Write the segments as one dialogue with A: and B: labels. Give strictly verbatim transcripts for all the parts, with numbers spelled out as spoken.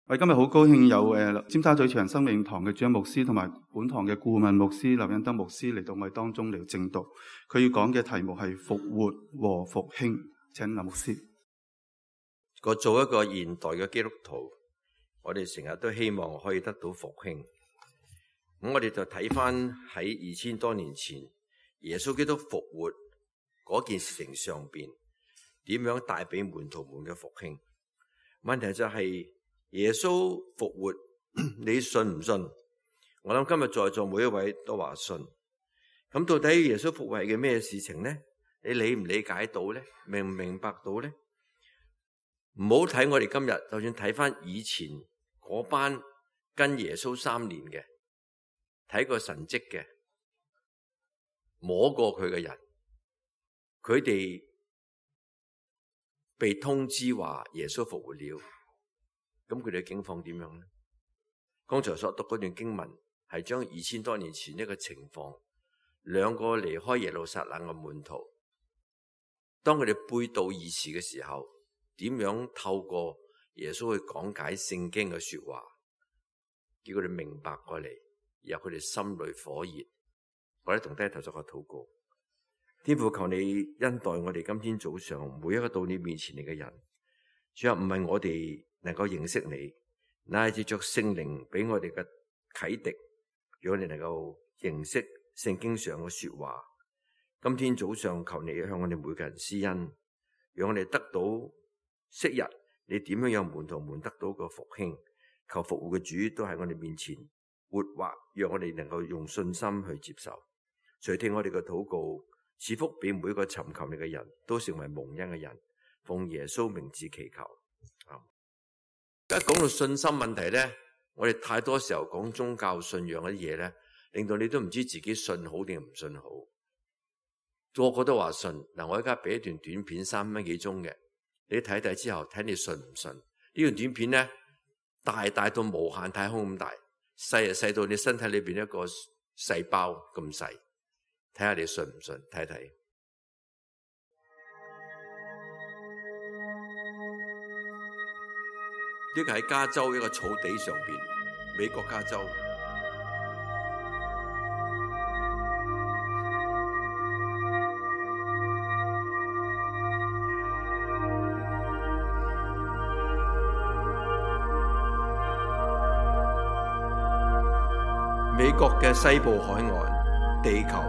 A: 我哋今日好高興有誒尖沙咀長生命堂嘅主任牧師同埋本堂嘅顧問牧師劉恩德牧師嚟到我哋當中嚟證道。佢要講嘅題目係復活和復興。請林牧師。
B: 我做一個現代嘅基督徒，我哋成日都希望可以得到復興。咁我哋就睇翻喺二千多年前耶穌基督復活嗰件事情上邊，點樣帶俾門徒們嘅復興。問題就係耶穌復活，你信唔信？我諗今日在座每一位都話信。咁到底耶穌復活係嘅咩事情呢？你理唔理解到呢？明唔明白到呢？唔好睇我哋今日，就算睇翻以前嗰班跟耶穌三年嘅，睇過神蹟嘅，摸過佢嘅人，佢哋被通知話耶穌復活了，咁佢哋嘅境況點樣呢？剛才所讀嗰段經文係將二千多年前一個情況，兩個離開耶路撒冷嘅門徒，當佢哋背道而馳嘅時候，點樣透過耶穌去講解聖經嘅說話，叫佢哋明白過嚟，然後佢哋心裏火熱。我哋同低頭作個禱告。天父，求你恩待我哋今天早上每一個到你面前嚟嘅人。主啊，唔係我哋能夠認識你，乃係借着聖靈俾我哋嘅啟迪，讓我哋能夠認識聖經上嘅說話。今天早上求你向我哋每個人施恩，讓我哋得到昔日你點樣有門徒們得到個復興。求復活嘅主都喺我哋面前活畫，讓我哋能夠用信心去接受。垂聽我哋嘅禱告，賜福俾每一個尋求你嘅人都成為蒙恩嘅人。奉耶穌名字祈求。而家講到信心問題咧，我哋太多時候講宗教信仰嗰啲嘢咧，令到你都唔知自己信好定唔信好。個個都話信。嗱，我而家俾一段短片三分幾鐘嘅，你睇睇之後睇你信唔信。呢段短片咧，大大到無限太空咁大，細啊細到你身體裏邊一個細胞咁細，睇下你信唔信，睇睇。呢個喺加州一個草地上邊，美國加州。美國嘅西部海岸，地球。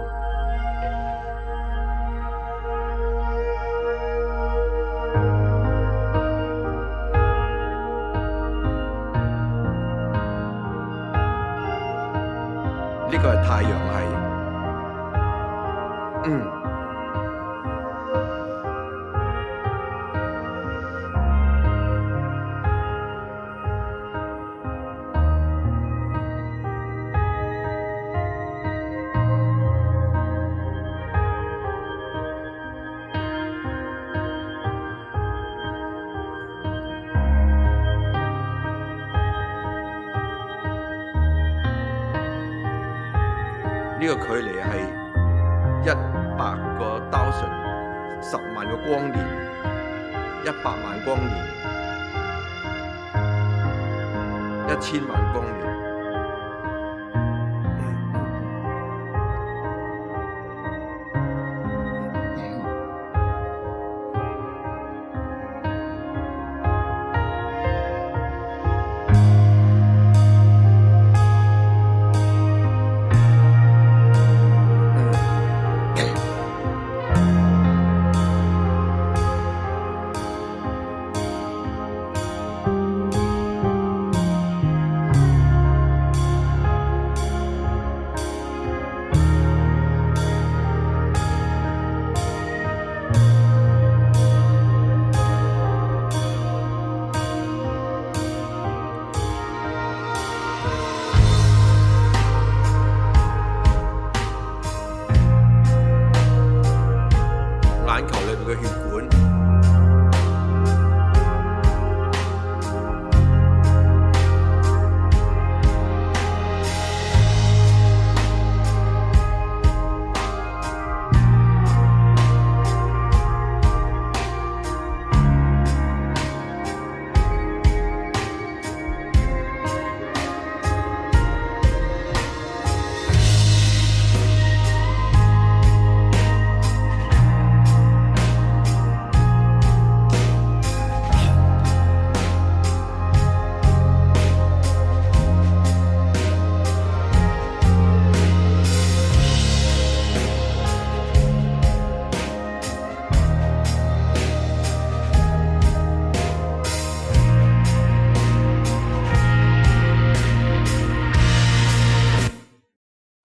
B: 呢個係太陽系。嗯。呢個距離係一百個 thousand 十萬個光年，一百萬光年，一千萬光年。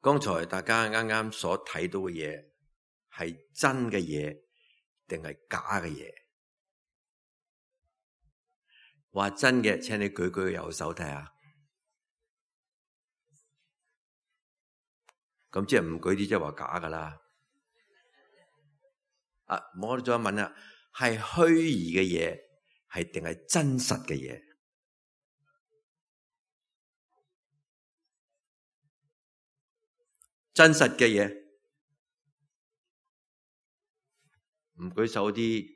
B: 剛才大家啱啱所睇到嘅嘢係真嘅嘢定係假嘅嘢？話真嘅，請你舉舉右手睇下。咁即係唔舉啲，即係話假噶啦。啊，我哋再問啦，係虛擬嘅嘢，係定係真實嘅嘢？真實嘅嘢，唔舉手啲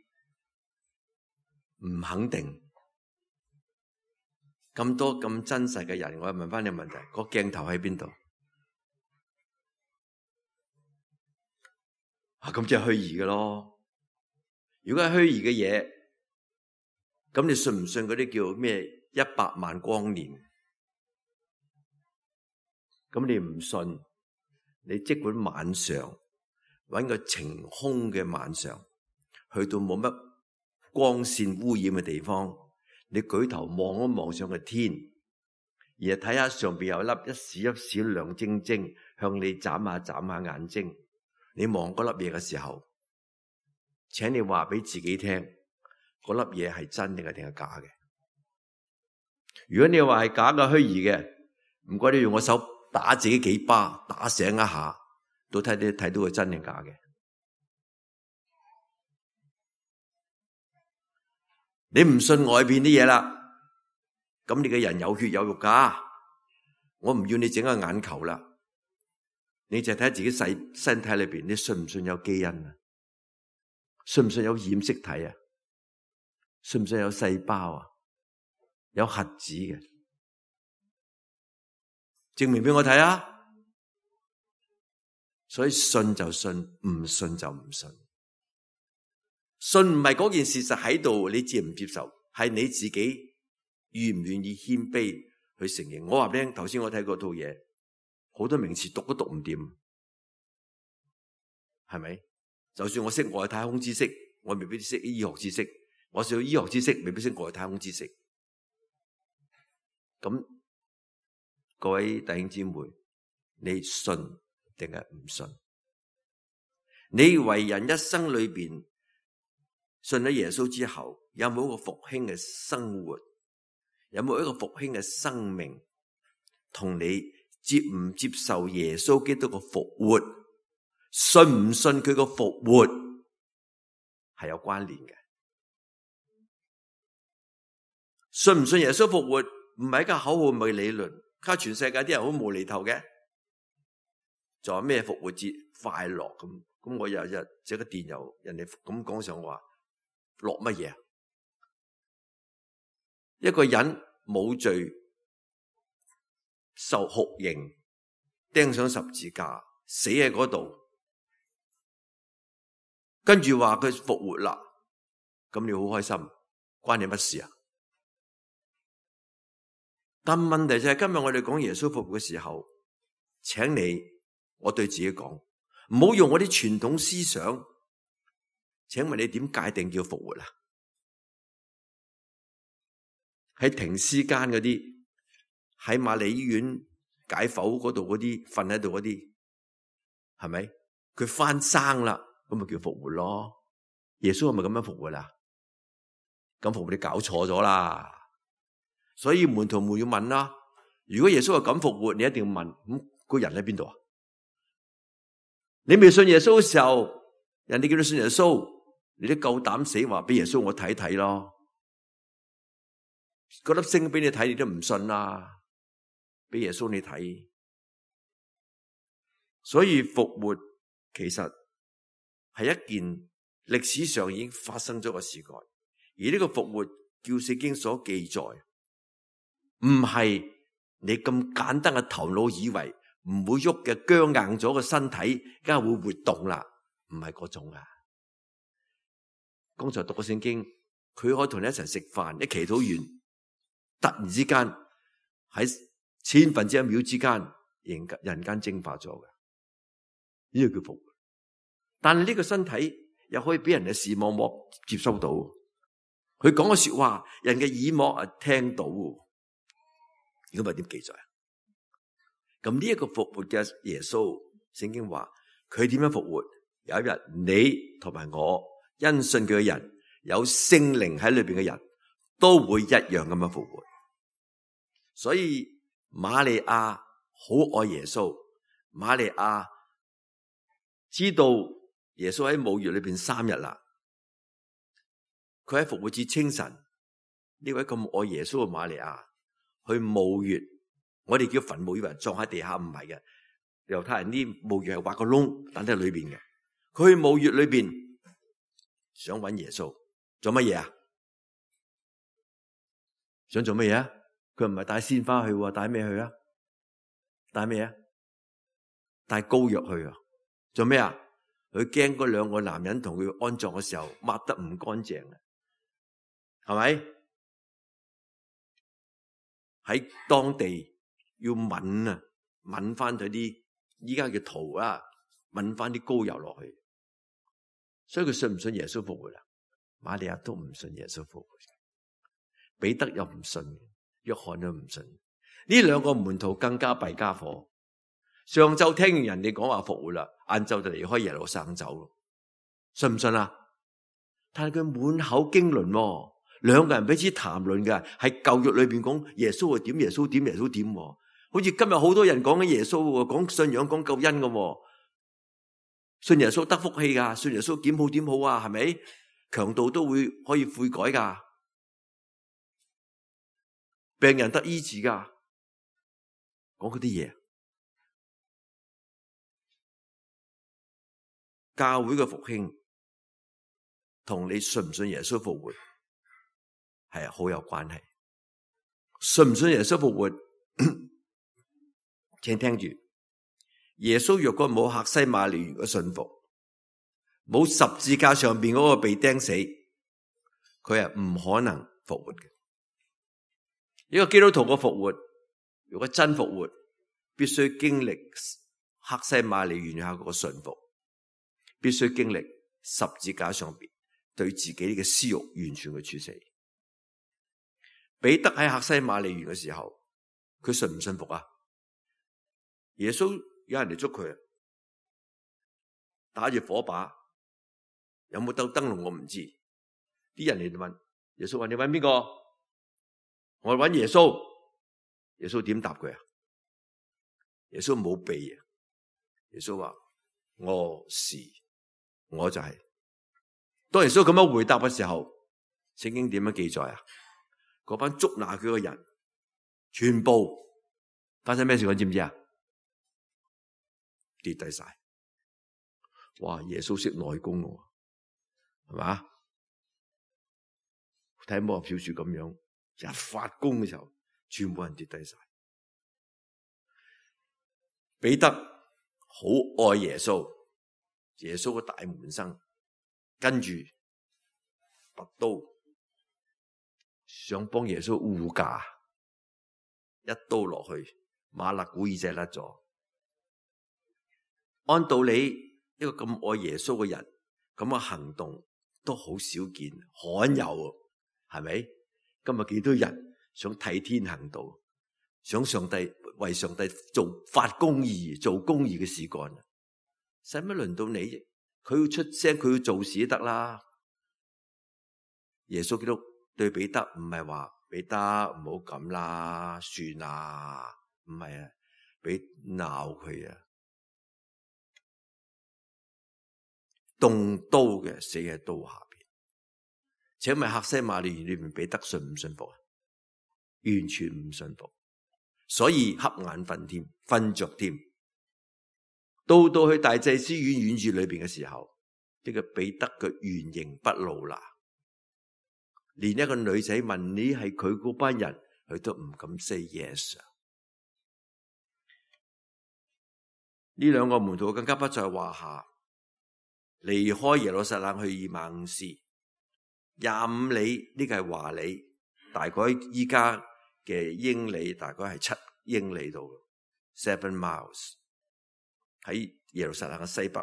B: 唔肯定。咁多咁真實嘅人，我問翻你問題，個鏡頭喺邊度？啊，咁即係虛擬嘅咯。如果係虛擬嘅嘢，咁你信唔信嗰啲叫咩一百萬光年？咁你唔信，你即管晚上搵個晴空嘅晚上，去到冇乜光線污染嘅地方，你舉頭望一望上個天，而係睇下上邊有一粒一閃一閃亮晶晶向你眨下眨下眼睛。你望嗰粒嘢嘅時候，請你話俾自己聽，嗰粒嘢係真定係定係假嘅？如果你話係假嘅虛擬嘅，唔該你用我手打自己幾巴，打醒一下，到睇你睇到佢真定假嘅。你唔信外邊啲嘢啦，咁你嘅人有血有肉噶，我唔要你整個眼球啦。你就睇下自己細身體裏邊，你信唔信有基因啊？信唔信有染色體啊？信唔信有細胞啊？有核子嘅？證明俾我睇啊！所以信就信，唔信就唔信。信唔係嗰件事實喺度，你接唔接受？係你自己願唔願意謙卑去承認。我話俾你聽，頭先我睇嗰套嘢。好多名詞讀都讀唔掂，係咪？就算我識外太空知識，我未必識醫學知識；我識醫學知識，未必識外太空知識。咁各位弟兄姊妹，你信定係唔信？你為人一生裏邊信咗耶穌之後，有冇一個復興嘅生活？有冇一個復興嘅生命？同你接唔接受耶穌基督嘅復活，信唔信佢個復活係有關聯嘅。信唔信耶穌復活唔係一個口號，唔係理論，卡全世界啲人好無厘頭嘅。仲有咩復活節快樂咁？咁我日日寫個電郵，人哋咁講上話落乜嘢？一個人冇罪，受酷刑，釘上十字架，死喺嗰度，跟住話佢復活啦，咁你好開心，關你乜事啊？但問題就係今日我哋講耶穌復活嘅時候，請你我對自己講，唔好用我啲傳統思想。請問你點界定叫復活啊？喺停屍間嗰啲，喺瑪麗醫院解剖嗰度嗰啲瞓喺度嗰啲，係咪？佢翻生啦，咁咪叫復活咯？耶穌係咪咁樣復活啦？咁復活你搞錯咗啦！所以門徒們要問啦：如果耶穌係咁復活，你一定要問，咁、那個人喺邊度啊？你未信耶穌嘅時候，人哋叫你信耶穌，你都夠膽死話俾耶穌我睇睇咯？嗰粒星俾你睇，你都唔信啦，俾耶穌你睇。所以復活其實係一件歷史上已經發生咗嘅事幹，而呢個復活叫聖經所記載，唔係你咁簡單嘅頭腦以為唔會喐嘅僵硬咗嘅身體，梗係會活動啦，唔係嗰種啊。剛才讀過聖經，佢可以同你一齊食飯，一祈禱完，突然之間喺千分之一秒之間，人人間蒸發咗嘅，呢個叫復活。但係呢個身體又可以俾人嘅視網膜接收到，佢講嘅說話，人嘅耳膜啊聽到。如果唔係點記載啊？咁呢一個復活嘅耶穌，聖經話佢點樣復活？有一日你同埋我因信佢嘅人，有聖靈喺裏邊嘅人都會一樣咁樣復活。所以瑪利亞好愛耶穌，瑪利亞知道耶穌喺墓穴裏邊三日啦。佢喺復活節清晨，呢位咁愛耶穌嘅瑪利亞去墓穴，我哋叫墳墓，以為葬喺地下，唔係嘅。猶太人啲墓穴係挖個窿，等喺裏邊嘅。佢去墓穴裏邊想揾耶穌，做乜嘢啊？想做乜嘢啊？佢唔係帶鮮花去，帶咩去啊？帶咩啊？帶膏藥去啊？做咩啊？佢驚嗰兩個男人同佢安葬嘅時候抹得唔乾淨啊？係咪？喺當地要抿啊，抿翻佢啲依家嘅圖啊，抿翻啲膏油落去。所以佢信唔信耶穌復活啊？瑪利亞都唔信耶穌復活，彼得又唔信，約翰都唔信。呢兩個門徒更加弊家伙。上晝聽完人哋講話復活啦，晏晝就離開耶路撒冷走咯。信唔信啊？但係佢滿口經綸喎。兩個人彼此談論嘅係舊約裏邊講耶穌點耶穌點耶穌點，好似今日好多人講緊耶穌，講信仰講救恩嘅，信耶穌得福氣噶，信耶穌點好點好啊，係咪？強盜都會可以悔改噶，病人得醫治噶，講嗰啲嘢。教會嘅復興同你信唔信耶穌復活係好有關係。信唔信耶穌復活？請聽住，耶穌若果冇客西馬尼園嘅信服，冇十字架上邊嗰個被釘死，佢係唔可能復活嘅。一個基督徒嘅復活，如果真復活，必須經歷客西馬尼園下嗰個信服，必須經歷十字架上邊對自己嘅私欲完全嘅處死。彼得喺客西馬尼園嘅時候，佢信唔信服啊？耶穌有人嚟捉佢，打住火把，有冇兜燈籠我唔知。啲人嚟問耶穌話：你揾邊個？我揾耶穌。耶穌點答佢啊？耶穌冇避啊。耶穌話：我是，我就係、是。當耶穌咁樣回答嘅時候，聖經點樣記載啊？嗰班捉拿佢嘅人，全部發生咩事？我知唔知啊？跌低晒。哇！耶穌識內功喎，係嘛？睇魔俠小說咁樣，一發功嘅時候，全部人跌低晒。彼得好愛耶穌，耶穌個大門生，跟住拔刀想幫耶穌護駕，一刀落去，馬勒古耳仔甩咗。按道理，一個咁愛耶穌嘅人，咁嘅行動都好少見，罕有，係咪？今日幾多人想替天行道，想上帝為上帝做發公義、做公義嘅事幹，使乜輪到你？佢要出聲，佢要做事得啦。耶穌基督對彼得唔係話彼得唔好咁啦，算啦，唔係啊，俾鬧佢啊，動刀嘅死喺刀下邊。請問客西馬尼園裏面彼得信唔信服啊？完全唔信服，所以瞌眼瞓添，瞓着添。到到去大祭司院院子裏邊嘅時候，呢、這個彼得嘅原形不露啦。連一個女仔問你係佢嗰班人，佢都唔敢 say yes。呢兩個門徒更加不在話下，離開耶路撒冷去以馬忤斯廿五里，呢個係華里，大概依家嘅英里大概係七英里度 ，seven miles 喺耶路撒冷嘅西北。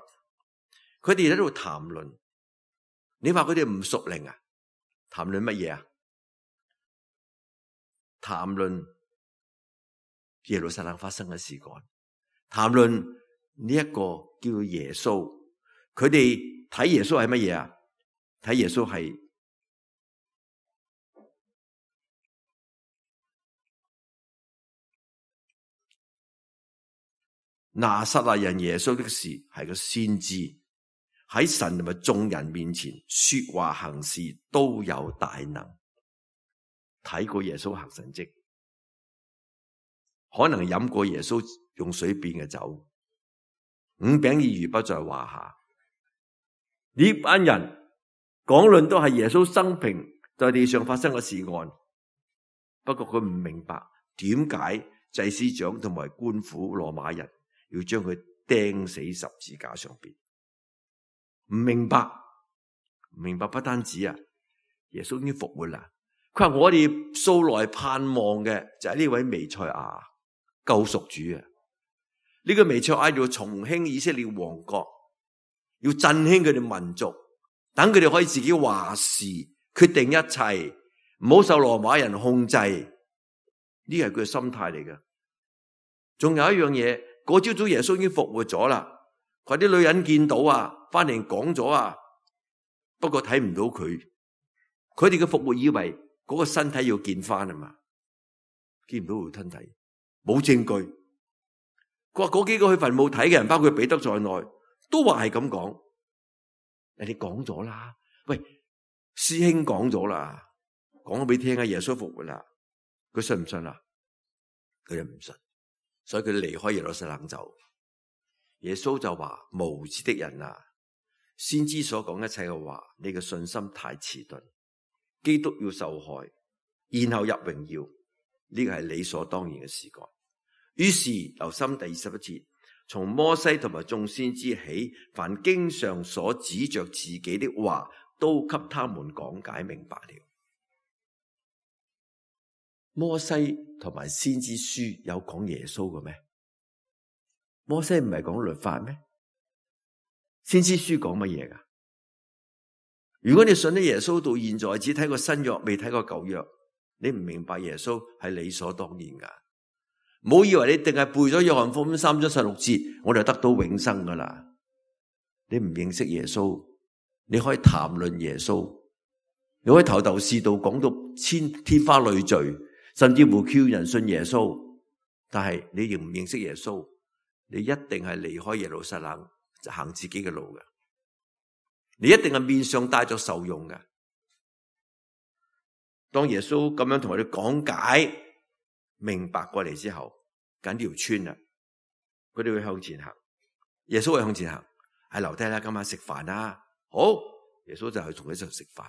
B: 佢哋喺度談論，你話佢哋唔屬靈啊？談論乜嘢啊？談論耶路撒冷發生嘅事幹，談論呢一個叫耶穌，佢哋睇耶穌係乜嘢啊？睇耶穌係拿撒勒人耶穌的事，係個先知，喺神同埋眾人面前說話行事都有大能。睇過耶穌行神蹟，可能飲過耶穌用水變嘅酒，五餅二魚不在話下。呢班人講論都係耶穌生平在地上發生嘅事案，不過佢唔明白點解祭司長同埋官府羅馬人要將佢釘死十字架上邊。唔明白，唔明白不單止啊，耶穌已經復活啦。佢話我哋素來盼望嘅就係呢位彌賽亞救贖主啊！呢、這個彌賽亞要重興以色列王國，要振興佢哋民族，等佢哋可以自己話事，決定一切，唔好受羅馬人控制。呢係佢嘅心態嚟嘅。仲有一樣嘢，嗰朝早耶穌已經復活咗啦，佢啲女人見到啊，翻嚟講咗啊，不過睇唔到佢，佢哋嘅復活以為嗰個身體要見翻啊嘛，見唔到佢身體，冇證據。佢話嗰幾個去墳墓睇嘅人，包括彼得在內，都話係咁講。人哋講咗啦，喂，師兄講咗啦，講咗俾你聽啊，耶穌復活啦，佢信唔信啊？佢又唔信，所以佢離開耶路撒冷走。耶穌就話：無知的人啊，先知所講一切嘅話，你嘅信心太遲鈍。基督要受害，然後入榮耀，呢個係理所當然嘅事幹。於是留心第二十一節，從摩西同埋眾先知起，凡經上所指着自己的話，都給他們講解明白了。摩西同埋先知書有講耶穌嘅咩？摩西唔係講律法咩？先知書講乜嘢噶？如果你信咗耶穌到現在只睇過新約，未睇過舊約，你唔明白耶穌係理所當然噶。唔好以為你淨係背咗約翰福音三章十六節，我就得到永生噶啦。你唔認識耶穌，你可以談論耶穌，你可以頭頭是道講到千天花亂墜，甚至乎叫人信耶穌，但係你仍唔認識耶穌，你一定係離開耶路撒冷，就行自己嘅路嘅。你一定係面上帶咗愁容嘅。當耶穌咁樣同我哋講解明白過嚟之後，緊條村啦，佢哋會向前行。耶穌會向前行，喺樓梯啦，今晚食飯啦。好，耶穌就去同佢一齊食飯。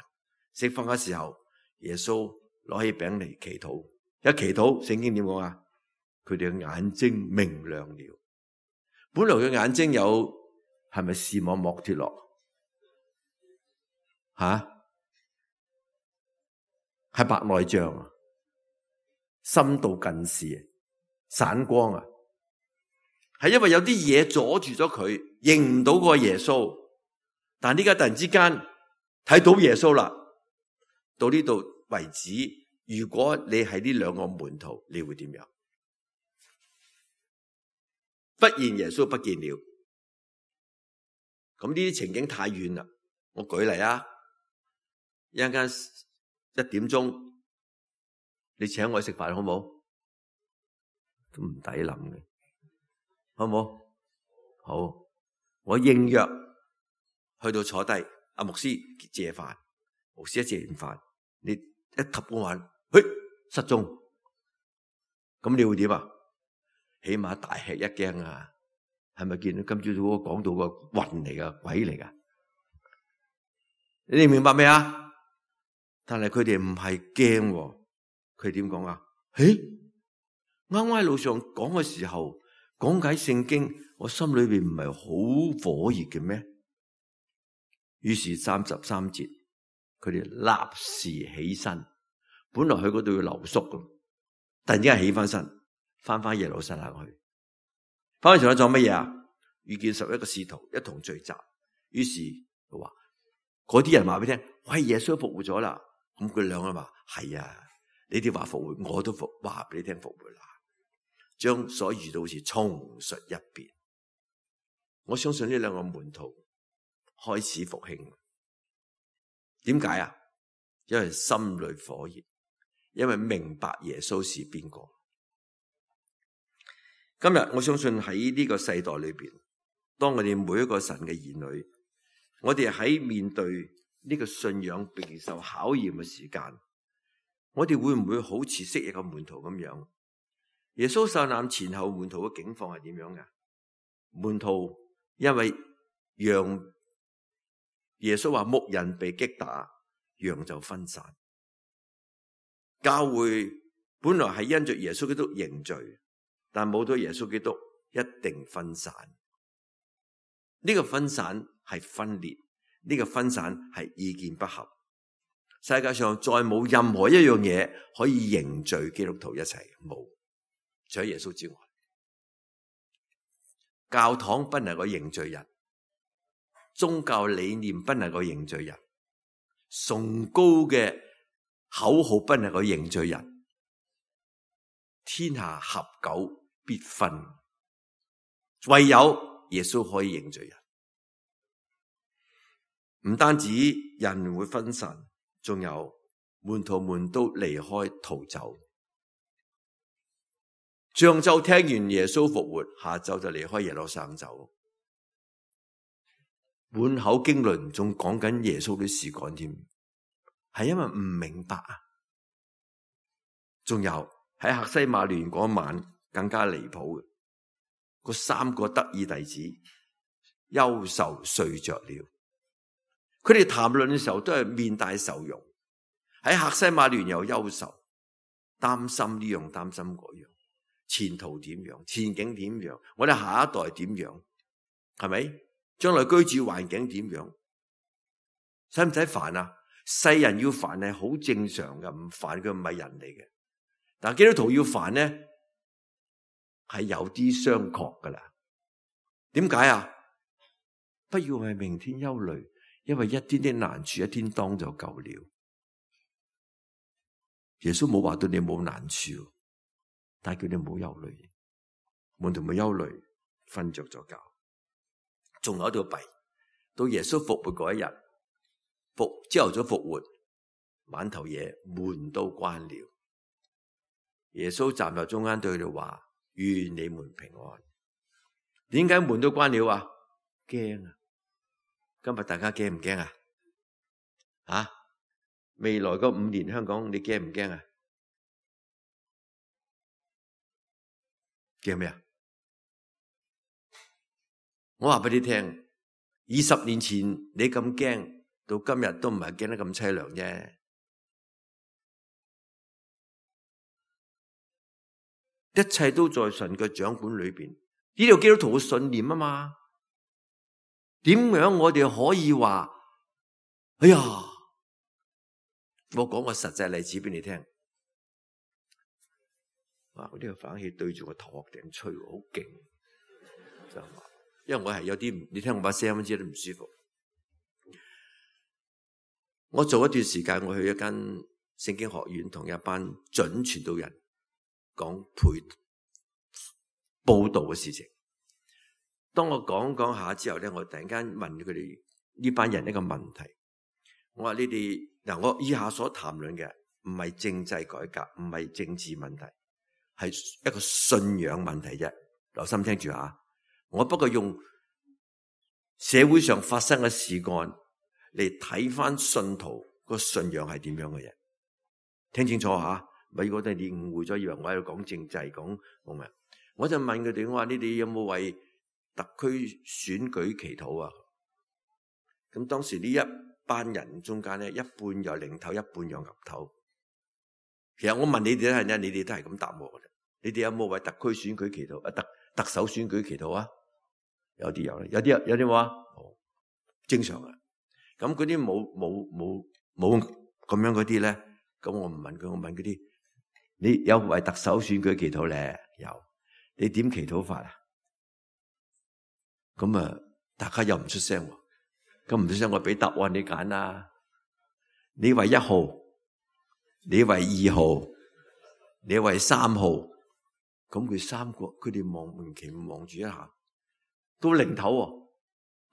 B: 食飯嘅時候，耶穌攞起餅嚟祈禱，一祈禱，聖經點講啊？佢哋嘅眼睛明亮了。本來嘅眼睛有係咪視網膜脫落？吓，係白內障啊，深度近視，散光啊，係因為有啲嘢阻住咗佢，認唔到嗰個耶穌。但呢家突然之間睇到耶穌啦，到呢度為止。如果你係呢兩個門徒，你會點樣？忽然耶穌不見了，咁呢啲情景太遠啦。我舉例啊。一陣間一點鐘，你請我去食飯好唔好？都唔抵諗嘅，好唔好？好，我應約去到坐低，阿牧師謝飯，牧師一謝完飯，你一及嗰晚，嘿，失蹤，咁你會點啊？起碼大吃一驚啊！係咪見到今朝早嗰個講到個魂嚟噶，鬼嚟噶？你哋明白未啊？但係佢哋唔係驚，佢點講啊？誒，啱啱喺路上講嘅時候，講解聖經，我心裏邊唔係好火熱嘅咩？於是三十三節，佢哋立時起身，本來去嗰度要留宿嘅，突然之間起翻身，翻翻耶路撒冷去，翻去仲有做乜嘢啊？遇見十一個使徒一同聚集，於是佢話嗰啲人話俾你聽，喂，耶穌復活咗啦。咁佢兩個話係啊，你哋話復活，我都復話俾你聽復活啦。將所遇到嘅事重述一遍。我相信呢兩個門徒開始復興。點解啊？因為心裏火熱，因為明白耶穌是邊個。今日我相信喺呢個世代裏邊，當我哋每一個神嘅兒女，我哋喺面對呢個信仰備受考驗嘅時間，我哋會唔會好似昔日嘅門徒咁樣？耶穌受難前後門徒嘅境況係點樣嘅？門徒因為羊，耶穌話牧人被擊打，羊就分散。教會本來係因着耶穌基督凝聚，但冇咗耶穌基督一定分散。呢個分散係分裂，呢個分散係意見不合。世界上再冇任何一樣嘢可以凝聚基督徒一齊，冇，除咗耶穌之外。教堂不能夠凝聚人，宗教理念不能夠凝聚人，崇高嘅口號不能夠凝聚人。天下合久必分，唯有耶穌可以凝聚人。唔單止人會分散，仲有門徒們都離開逃走。上晝聽完耶穌復活，下晝就離開耶路撒冷走，滿口經綸，仲講緊耶穌嘅事幹添，係因為唔明白啊。仲有喺客西馬尼園嗰晚更加離譜嘅，嗰三個得意弟子憂愁睡着了。佢哋談論嘅時候都係面帶愁容，喺客西馬尼園又憂愁，擔心呢樣擔心嗰樣，前途點樣，前景點樣，我哋下一代點樣，係咪？將來居住環境點樣？使唔使煩啊？世人要煩係好正常嘅，唔煩佢唔係人嚟嘅。但係基督徒要煩呢，係有啲商榷噶啦。點解啊？不要為明天憂慮，因為一天的難處一天當就夠了。耶穌冇話對你冇難處，但係叫你冇憂慮。門徒冇憂慮，瞓着咗覺。仲有一條弊，到耶穌復活嗰一日，復朝頭早復活，晚頭夜門都關了。耶穌站在中間對佢哋話：願你們平安。點解門都關了啊？驚啊！今日大家驚唔驚啊？啊！未來嗰五年香港你驚唔驚啊？驚咩啊？我話俾你聽，二十年前你咁驚，到今日都唔係驚得咁淒涼啫。一切都在神嘅掌管裏邊，呢條基督徒嘅信念啊嘛。點樣我哋可以話？哎呀，我講個實際例子俾你聽。哇！呢個反氣對住個頭殼頂吹，好勁。就話，因為我係有啲，你聽我把聲知都唔舒服。我做一段時間，我去一間聖經學院，同一班準傳道人講陪報道嘅事情。當我講講下之後咧，我突然間問佢哋呢班人一個問題。我話你哋嗱，我以下所談論嘅唔係政制改革，唔係政治問題，係一個信仰問題啫。留心聽住吓，我不過用社會上發生嘅事幹嚟睇翻信徒個信仰係點樣嘅嘢。聽清楚吓，咪覺得你誤會咗，以為我喺度講政制講冇咩。我就問佢哋，我話你哋有冇為特區選舉祈禱啊？咁當時呢一班人中間咧，一半有零頭，一半有岌頭。其實我問你哋咧，係你哋都係咁答我嘅。你哋有冇為特區選舉祈禱啊？特特首選舉祈禱啊？有啲有，有啲有啲話哦，正常啊。咁嗰啲冇冇冇冇咁樣嗰啲咧，咁我唔問佢，我問嗰啲，你有為特首選舉祈禱咧？有，你點祈禱法啊？咁啊，大家又唔出聲，咁唔出聲，我俾答案你揀啦。你為一號，你為二號，你為三號，咁佢三個，佢哋望唔期望住一下，到零頭喎。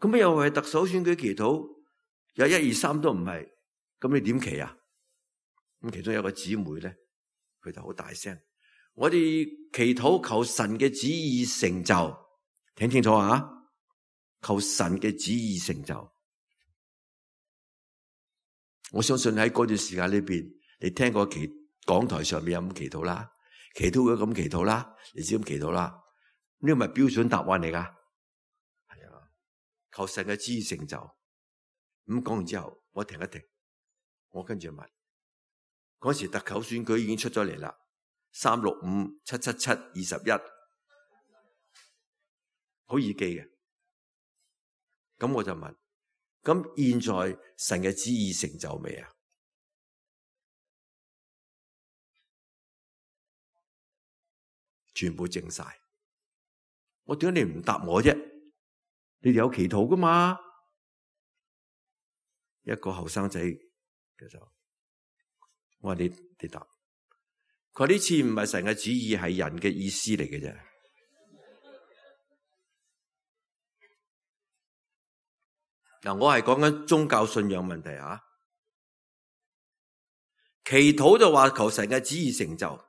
B: 咁又為特首選舉祈禱，有一二三都唔係，咁你點祈啊？咁其中有一個姊妹咧，佢就好大聲，我哋祈禱求神嘅旨意成就，聽清楚啊！求神嘅旨意成就。我相信喺嗰段時間裏邊，你聽過祈講台上面有咁祈禱啦，祈禱會咁祈禱啦，你知咁祈禱啦，呢個咪標準答案嚟噶。係啊，求神嘅旨意成就。咁講完之後，我停一停，我跟住問，嗰時特首選舉已經出咗嚟啦，三六五七七七二十一，好易記嘅。咁我就問，咁現在神嘅旨意成就未啊？全部靜晒。我點解你唔答我啫？你哋有祈禱噶嘛？一個後生仔嘅就，我話你你答，佢話呢次唔係神嘅旨意，係人嘅意思嚟嘅啫。嗱，我係講緊宗教信仰問題啊。祈禱就話求神嘅旨意成就，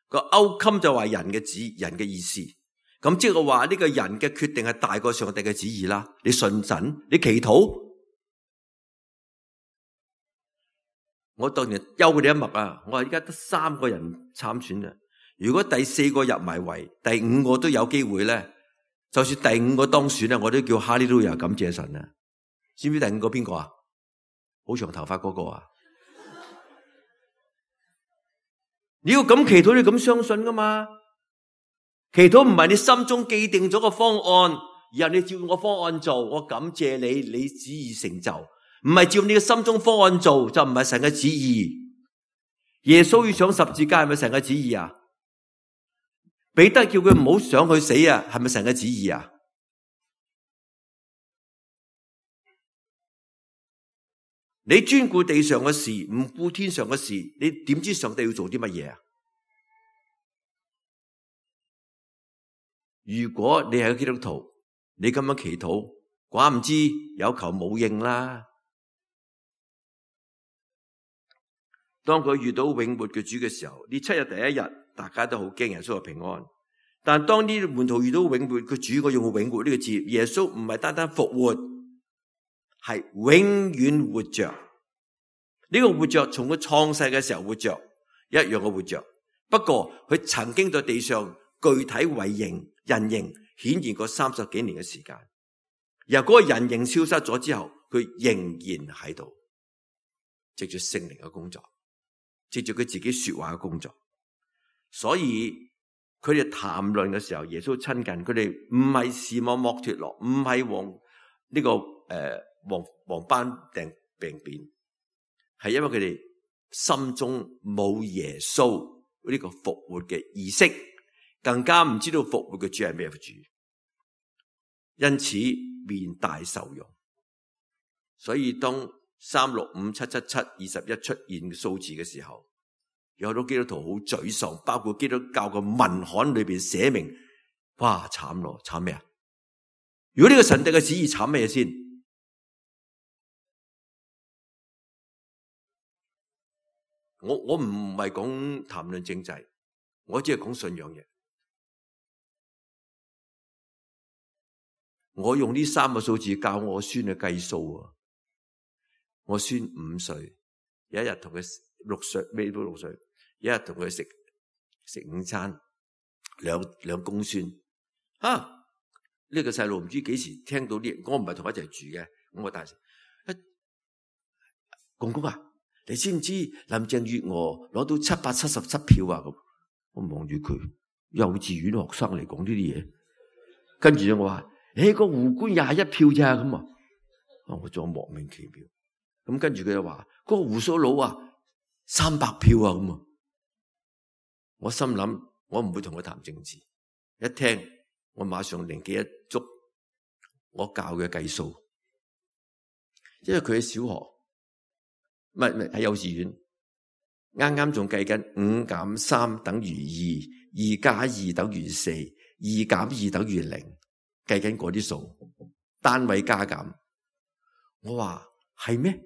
B: 個 outcome 就話人嘅旨人嘅意思。咁即係話呢個人嘅決定係大過上帝嘅旨意啦。你信神，你祈禱，我當然休佢哋一默啊。我話而家得三個人參選嘅，如果第四個入埋圍，第五個都有機會咧，就算第五個當選咧，我都叫哈利路亞感謝神啊。知唔知第五個邊個啊？好長頭髮嗰個啊？你要咁祈禱，你咁相信噶嘛？祈禱唔係你心中既定咗個方案，然後你照我方案做，我感謝你，你旨意成就。唔係照你嘅心中方案做，就唔係神嘅旨意。耶穌要上十字架，係咪神嘅旨意啊？彼得叫佢唔好上去死啊，係咪神嘅旨意啊？你專顧地上嘅事，唔顧天上嘅事，你點知上帝要做啲乜嘢啊？如果你係個基督徒，你咁樣祈禱，寡唔知有求冇應啦。當佢遇到永活嘅主嘅時候，呢七日第一日，大家都好驚耶穌係平安。但當呢門徒遇到永活嘅主，我用永活呢個字，耶穌唔係單單復活，係永遠活着。呢個活着從佢創世嘅時候活着，一樣嘅活着。不過佢曾經在地上具體為形人形顯現過三十幾年嘅時間。由嗰個人形消失咗之後，佢仍然喺度，藉住聖靈嘅工作，藉住佢自己說話嘅工作。所以佢哋談論嘅時候，耶穌親近佢哋，唔係視網膜脫落，唔係黃呢個誒黃黃斑病病變，係因為佢哋心中冇耶穌呢個復活嘅意識，更加唔知道復活嘅主係咩主，因此面帶愁容。所以當三六五七七七二十一出現數字嘅時候，有好多基督徒好沮喪，包括基督教嘅文刊裏邊寫明，哇慘咯，慘咩啊？如果呢個神帝嘅旨意慘咩先？我我唔係講談論政制，我只係講信仰嘢。我用呢三個數字教我孫去計數啊！我孫五歲，有一日同佢六歲，未到六歲，有一日同佢食食午餐，兩兩公孫。吓、啊、呢、這個細路唔知幾時聽到啲，我唔係同佢一齊住嘅，咁我大聲，公公啊！你知唔知林鄭月娥攞到七百七十七票啊？咁我望住佢，幼稚園學生嚟講呢啲嘢，跟住我話：誒，個胡官廿一票咋咁啊？我仲莫名其妙。咁跟住佢又話：嗰個胡鬚佬啊，三百票啊咁啊！我心諗，我唔會同佢談政治。一聽，我馬上靈機一觸，我教佢計數，因為佢喺小學。唔係唔係喺幼稚園，啱啱仲計緊五減三等於二，二加二等於四，二減二等於零，計緊嗰啲數，單位加減。我話係咩？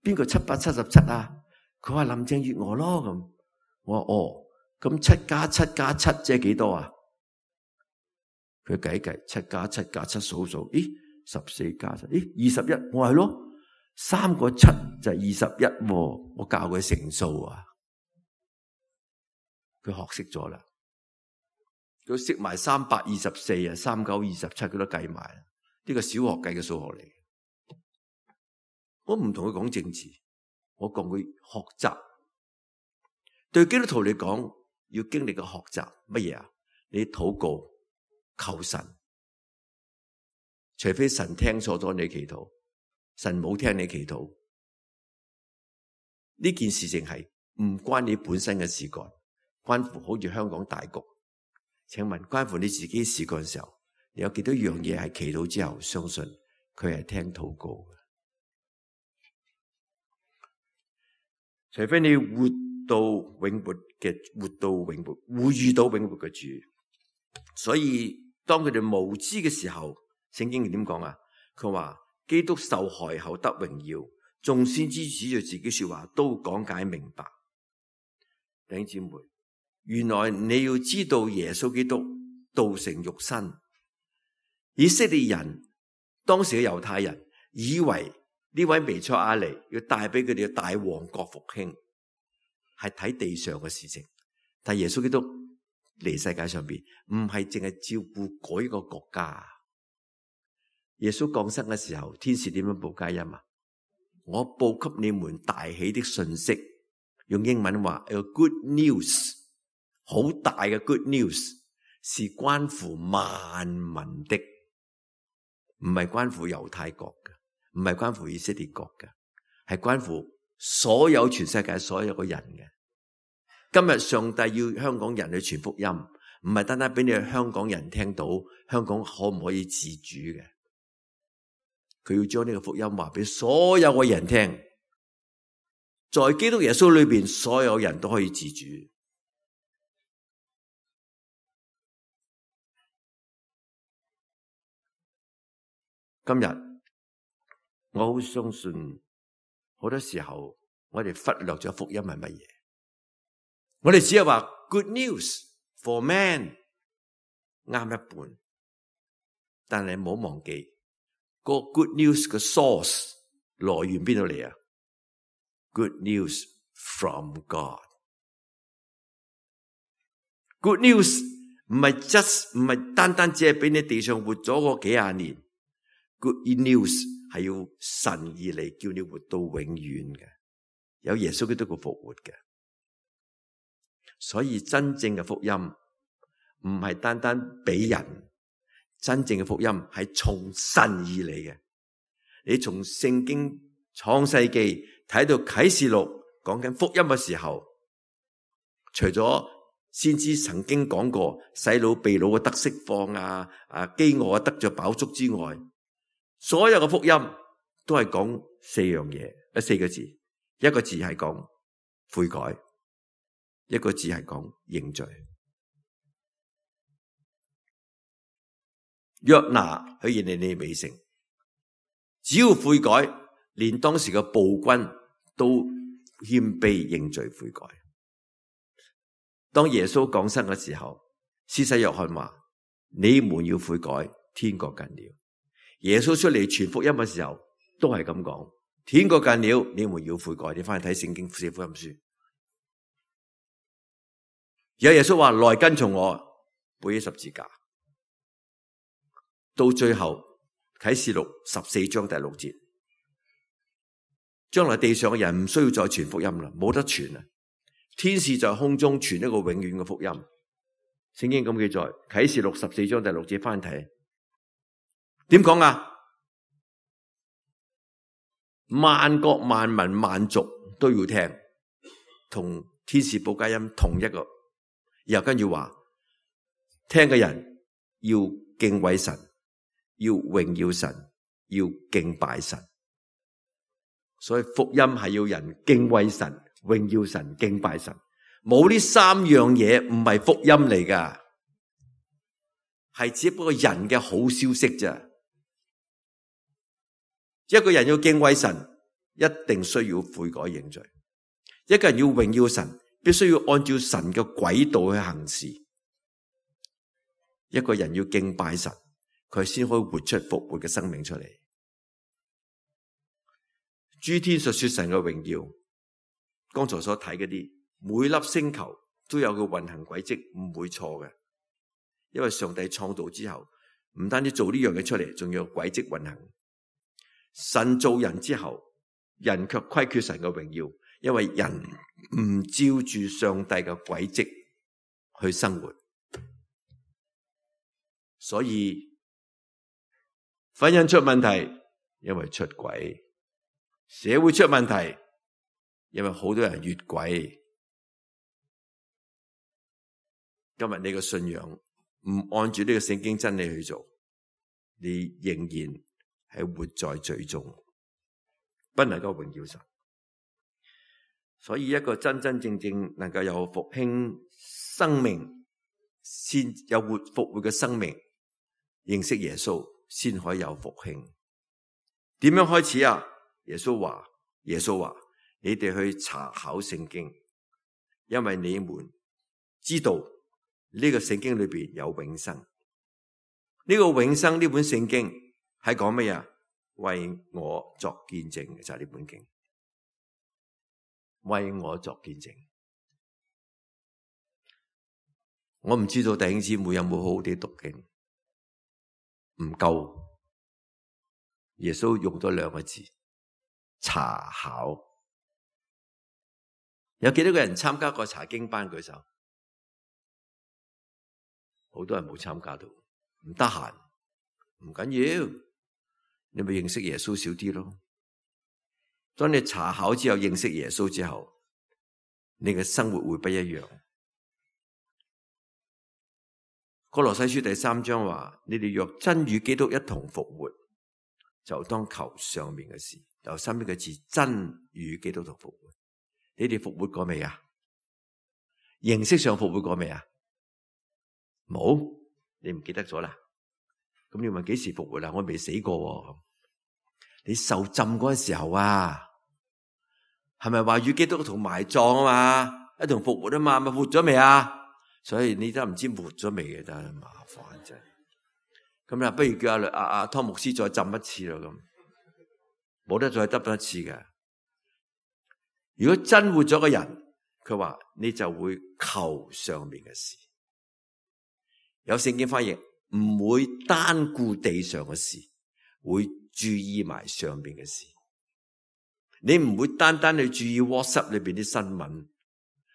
B: 邊個七百七十七啊？佢話林鄭月娥咯咁。我話哦，咁七加七加七即係幾多啊？佢計計七加七加七數數，咦，十四加七，咦，二十一。我話係咯，三個七就係二十一。我教佢乘數啊，佢學識咗啦。佢識埋三百二十四啊，三九二十七，佢都計埋。呢個小學計嘅數學嚟。我唔同佢講政治，我講佢學習。對基督徒嚟講，要經歷嘅學習乜嘢啊？你禱告求神，除非神聽錯咗你祈禱，神冇聽你祈禱，呢件事情係唔關你本身嘅事幹，關乎好似香港大局。請問關乎你自己事幹嘅時候，你有幾多樣嘢係祈禱之後相信佢係聽禱告嘅？除非你活到永活嘅，活到永活，會遇到永活嘅主。所以當佢哋無知嘅時候，聖經點講啊？佢話基督受害後得榮耀，眾先知指住自己說話都講解明白。弟兄姊妹，原來你要知道耶穌基督道成肉身。以色列人當時嘅猶太人以為呢位彌賽亞嚟要帶俾佢哋嘅大王國復興，係睇地上嘅事情。但耶穌基督嚟世界上邊，唔係淨係照顧嗰一個國家。耶穌降生嘅時候，天使點樣報佳音啊？我報給你們大喜的信息，用英文話有 good news， 好大嘅 good news， 是關乎萬民的，唔係關乎猶太國嘅。唔係關乎以色列國嘅，係關乎所有全世界所有嘅人嘅。今日上帝要香港人去傳福音，唔係單單俾你香港人聽到香港可唔可以自主嘅，佢要將呢個福音話俾所有嘅人聽，在基督耶穌裏邊，所有人都可以自主。今日我好相信，好多時候我哋忽略咗福音係乜嘢？我哋只係話 good news for man， 啱一半，但係唔好忘記個 good news 嘅 source 來源邊度嚟啊 ？Good news from God。Good news 唔係 just 唔係單單只係俾你地上活咗個幾廿年 ，good news。係要神而嚟叫你活到永遠嘅，有耶穌基督嘅復活嘅。所以真正嘅福音唔係單單俾人，真正嘅福音係從神而嚟嘅。你從聖經創世記睇到啟示錄講緊福音嘅時候，除咗先知曾經講過洗腦被擄嘅得釋放啊，啊飢餓啊得着飽足之外，所有嘅福音都係講四樣嘢，一四個字，一個字係講悔改，一個字係講認罪。約拿去尼尼微城，只要悔改，連當時嘅暴君都謙卑認罪悔改。當耶穌降生嘅時候，施洗約翰話：你們要悔改，天國近了。耶穌出嚟傳福音嘅時候，都係咁講：天國近了，你們要悔改。你翻去睇聖經四福音書，有耶穌話：來跟從我，背起十字架。到最後啟示錄十四章第六節，將來地上嘅人唔需要再傳福音啦，冇得傳啦。天使在空中傳一個永遠嘅福音。聖經咁記載，啟示錄十四章第六節，翻睇點講啊？萬國萬民萬族都要聽，同天使報佳音同一個。然後跟住話，聽嘅人要敬畏神，要榮耀神，要敬拜神。所以福音係要人敬畏神、榮耀神、敬拜神，冇呢三樣嘢唔係福音嚟噶，係只不過人嘅好消息咋。一個人要敬畏神，一定需要悔改認罪；一個人要榮耀神，必須要按照神嘅軌道去行事。一個人要敬拜神，佢先可以活出復活嘅生命出嚟。諸天述說神嘅榮耀，剛才所睇嗰啲，每粒星球都有個運行軌跡，唔會錯嘅。因為上帝創造之後，唔單止做呢樣嘢出嚟，仲要有軌跡運行。神造人之後，人卻虧缺神嘅榮耀，因為人唔照住上帝嘅軌跡去生活，所以婚姻出問題，因為出軌；社會出問題，因為好多人越軌。今日你嘅信仰唔按住呢個聖經真理去做，你仍然係活在罪中，不能夠榮耀神。所以一個真真正正能夠有復興生命，先有活復活嘅生命，認識耶穌先可以有復興。點樣開始啊？耶穌話：耶穌話，你哋去查考聖經，因為你們知道呢個聖經裏邊有永生。呢個永生呢本聖經係講乜嘢？為我作見證嘅就係呢本經，為我作見證。我唔知道弟兄姊妹有冇好好地讀經，唔夠。耶穌用咗兩個字：查考。有幾多個人參加過查經班？舉手。好多人冇參加到，唔得閒，唔緊要。你咪認識耶穌少啲咯。當你查考之後，認識耶穌之後，你嘅生活會不一樣。歌羅西書第三章話：你哋若真與基督一同復活，就當求上面嘅事。由身邊嘅字，真與基督同復活。你哋復活過未啊？形式上復活過未啊？冇，你唔記得咗啦。咁你問幾時復活啦？我未死過喎。你受浸嗰陣時候啊，係咪話與基督同埋葬啊嘛？一同復活啊嘛？咪活咗未啊？所以你都唔知活咗未嘅，真係麻煩真。咁啊，不如叫阿阿阿湯牧師再浸一次咯，咁冇得再得多一次嘅。如果真活咗個人，佢話你就會求上面嘅事。有聖經翻譯，唔會單顧地上嘅事，會注意埋上面嘅事。你唔會單單去注意 WhatsApp 裏邊啲新聞，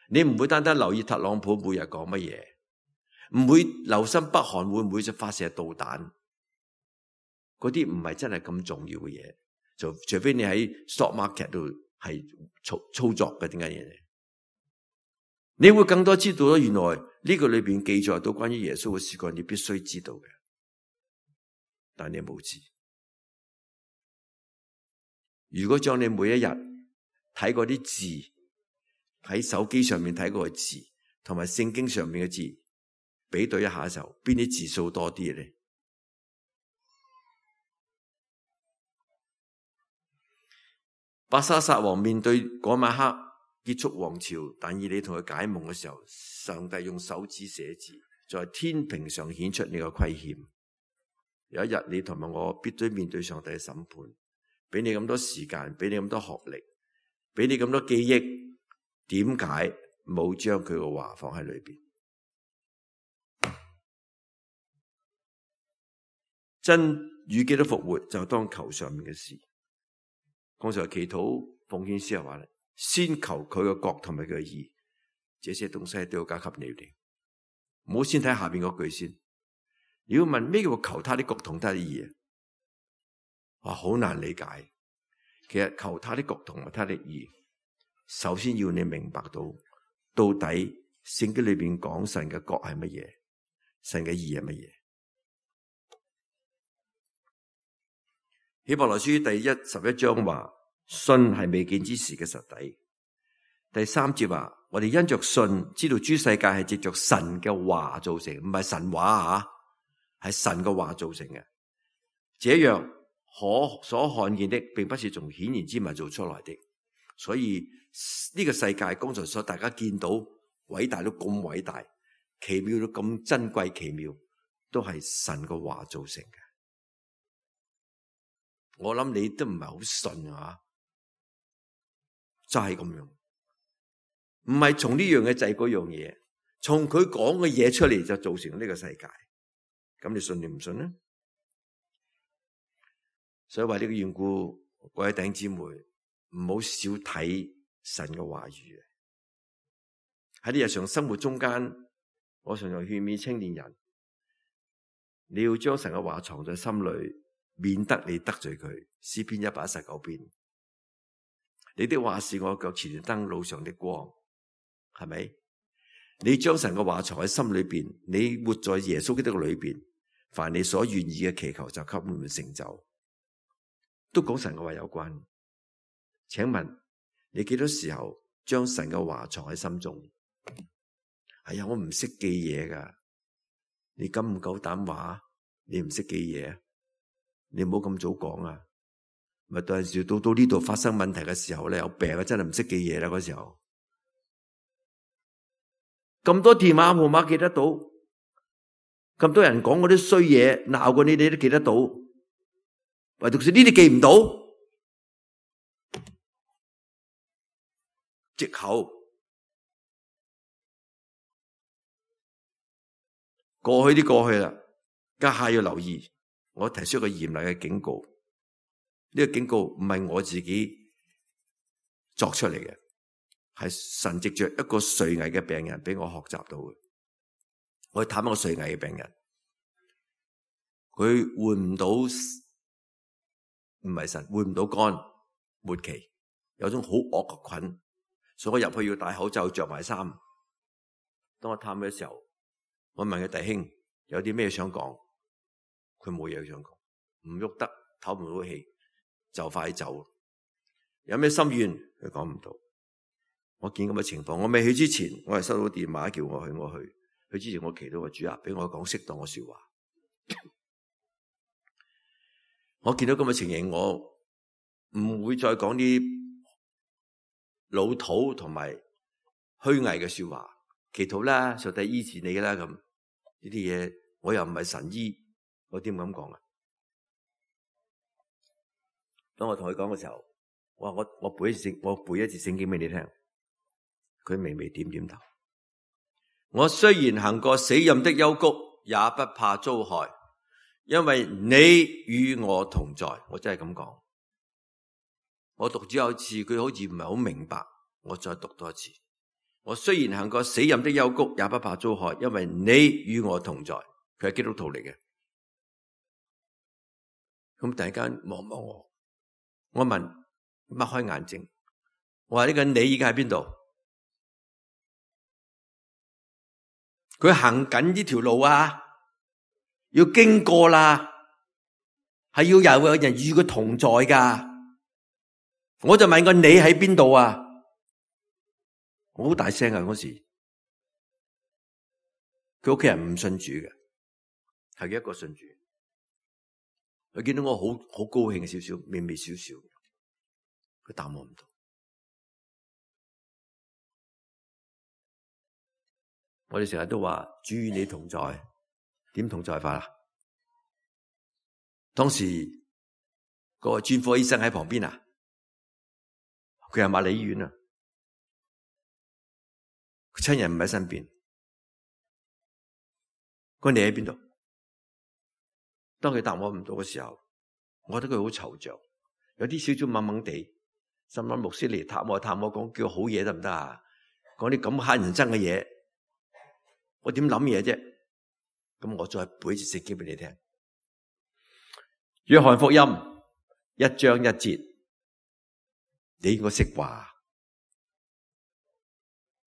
B: 你唔會單單留意特朗普每日講乜嘢，唔會留心北韓會唔會就發射導彈。嗰啲唔係真係咁重要嘅嘢，就除非你喺 stock market 度係操操作嘅，點解嘢？你會更多知道咗，原來呢個裏邊記載到關於耶穌嘅事幹，你必須知道嘅，但你冇知。如果將你每一日睇過啲字，喺手機上面睇過嘅字，同埋聖經上面嘅字比對一下嘅時候，邊啲字數多啲咧？伯沙撒王面對嗰晚黑結束王朝，但以理同佢解夢嘅時候，上帝用手指寫字，在天平上顯出你個虧欠。有一日你同埋我必須面對上帝嘅審判，俾你咁多時間，俾你咁多學歷，俾你咁多記憶，點解冇將佢嘅話放喺裏邊？真與基督復活，就當求上面嘅事。剛才祈禱奉獻詩又話咧，先求佢嘅國同埋佢嘅義，這些東西都要加給你哋。唔好先睇下邊嗰句先。你要問咩叫求他的國同他的義啊？哇，好難理解。其實求他的國同埋他的義，首先要你明白到到底聖經裏邊講神嘅國係乜嘢，神嘅義係乜嘢。希伯來書第一十一章話，信係未見之事嘅實底。第三節話，我哋因着信知道諸世界係藉着神嘅話造成，唔係神話啊，係神嘅話造成嘅。這樣可所看見的，並不是從顯然之物做出來的。所以呢個世界，剛才所大家見到偉大到咁偉大，奇妙到咁珍貴奇妙，都係神嘅話造成嘅。我諗你都唔係好信啊，就係咁樣，唔係從呢樣嘢制嗰樣嘢，從佢講嘅嘢出嚟就造成呢個世界。咁你信定唔信呢？所以為呢個緣故，各位弟兄姊妹，唔好少睇神嘅話語。喺你日常生活中間，我常常勸勉青年人，你要將神嘅話藏在心裏，免得你得罪佢。詩篇一百一十九篇，你的話是我腳前的燈，路上的光，係咪？你將神嘅話藏喺心裏邊，你活在耶穌基督裏邊，凡你所願意嘅祈求就給你們成就，都講神嘅話有關。請問你幾多時候將神嘅話藏喺心中？哎呀，我唔識記嘢噶，你敢唔夠膽話你唔識記嘢？你唔好咁早講啊！咪到陣時到到呢度發生問題嘅時候咧，有病啊，真係唔識記嘢啦嗰時候。咁多電話號碼記得到，咁多人講嗰啲衰嘢鬧過你，你都記得到，唯獨是呢啲記唔到，藉口。過去啲過去啦，家下要留意。我提出一個嚴厲嘅警告，呢個警告唔係我自己作出嚟嘅，係神藉着一個垂危嘅病人俾我學習到嘅。我去探一個垂危嘅病人，佢換唔到，唔係神換唔到肝末期，有種好惡嘅菌，所以我入去要戴口罩着埋衫。當我探佢嘅時候，我問佢弟兄有啲咩想講，佢冇嘢想講，唔喐得，唞唔到氣，就快走。有咩心願佢講唔到。我見咁嘅情況，我未去之前，我係收到電話叫我去，我去。去之前我祈禱個主啊，俾我講適當嘅說話。我見到咁嘅情形，我唔會再講啲老土同埋虛偽嘅說話。祈禱啦，上帝醫治你啦，咁呢啲嘢我又唔係神醫，我點咁講啊？當我同佢講嘅時候，我話我我背一次聖，我背一次聖經俾你聽。佢微微點點頭。我雖然行過死蔭的幽谷，也不怕遭害，因為你與我同在。我真係咁講。我讀咗有次，佢好似唔係好明白，我再讀多一次。我雖然行過死蔭的幽谷，也不怕遭害，因為你與我同在。佢係基督徒嚟嘅。咁突然間望望我，我問，擘開眼睛，我話呢個你而家喺邊度？佢行緊呢條路啊，要經過啦，係要有人與佢同在噶。我就問個你喺邊度啊？我好大聲啊！嗰時佢屋企人唔信主嘅，係佢一個信主。佢見到我好好高興少少，微微少少，佢答我唔到。我哋成日都話主與你同在，點同在法啊？當時個專科醫生喺旁邊啊，佢係瑪麗醫院啊，親人唔喺身邊。佢你喺邊度？當佢答我唔到嘅時候，我覺得佢好惆悵，有啲少少懵懵地，心諗牧師嚟探我探我講叫好嘢得唔得啊？講啲咁乞人憎嘅嘢，我點諗嘢啫？咁我再背一次聖經俾你聽。約翰福音一章一節，你應該識話，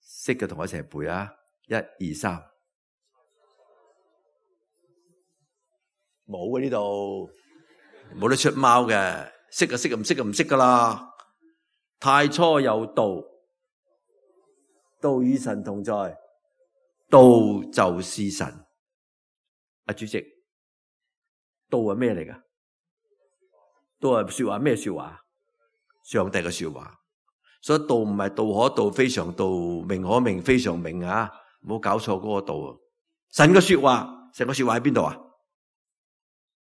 B: 識嘅同我一齊背啊！一二三。冇啊，呢度冇得出貓嘅，識就識，唔識就唔識噶啦。太初有道，道與神同在，道就是神。啊，主席，道係咩嚟噶？道係說話，咩說話？上帝嘅說話。所以道唔係道可道非常道，名可名非常名啊！唔好搞錯嗰個道啊！神嘅說話，神嘅說話喺邊度啊？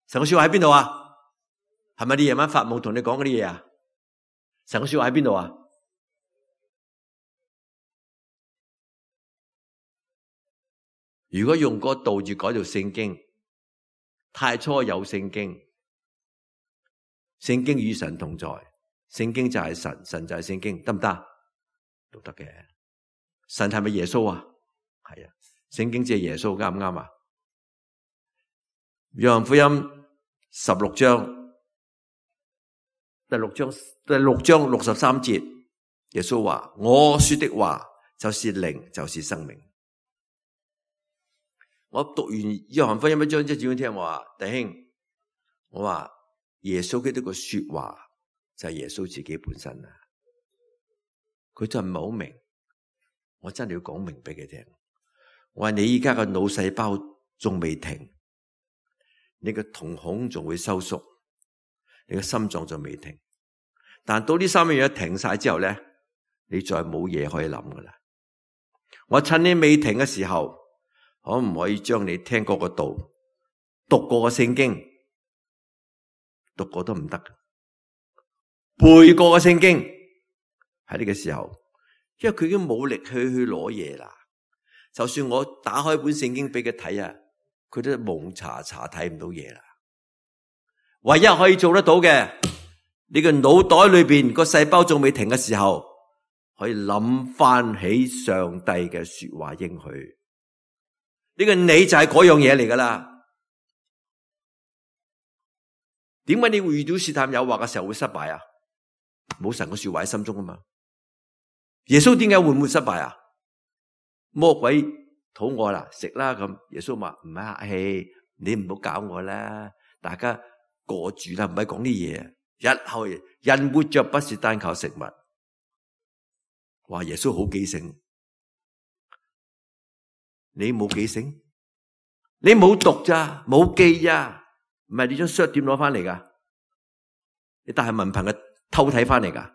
B: 神嘅說話喺邊度啊？係咪你夜晚發夢同你講嗰啲嘢啊？神嘅說話喺邊度啊？如果用嗰個道字改做聖經，太初有聖經，聖經與神同在，聖經就係神，神就係聖經，得唔得？都得嘅。神係咪耶穌啊？係啊，聖經即係耶穌，啱唔啱啊？約翰福音十六章第六章第六章六十三節，耶穌話：我說的話就是靈，就是生命。我讀完約翰福音一章，即係點樣聽我話，弟兄，我話耶穌基督嘅說話就係耶穌自己本身啊！佢真係唔係好明，我真係要講明俾佢聽。我話你依家嘅腦細胞仲未停，你嘅瞳孔仲會收縮，你嘅心臟仲未停。但到呢三樣嘢停晒之後咧，你再冇嘢可以諗噶啦。我趁你未停嘅時候，可唔可以將你聽過個道、讀過個聖經、讀過都唔得，背過個聖經喺呢個時候，因為佢已經冇力去去攞嘢啦。就算我打開本聖經俾佢睇啊，佢都蒙查查睇唔到嘢啦。唯一可以做得到嘅，你個腦袋裏邊個細胞仲未停嘅時候，可以諗翻起上帝嘅說話應許。呢個你就係嗰樣嘢嚟噶啦。點解你會遇到試探誘惑嘅時候會失敗啊？冇神嘅說話喺心中啊嘛。耶穌點解會唔會失敗啊？魔鬼肚餓啦，食啦咁。耶穌話唔係客氣，你唔好搞我啦，大家過住啦，唔係講啲嘢。日後人活着不是單靠食物。話耶穌好記性。你冇記性，你冇讀咋，冇記咋，唔係你張書點攞翻嚟噶？你但係文憑嘅偷睇翻嚟噶？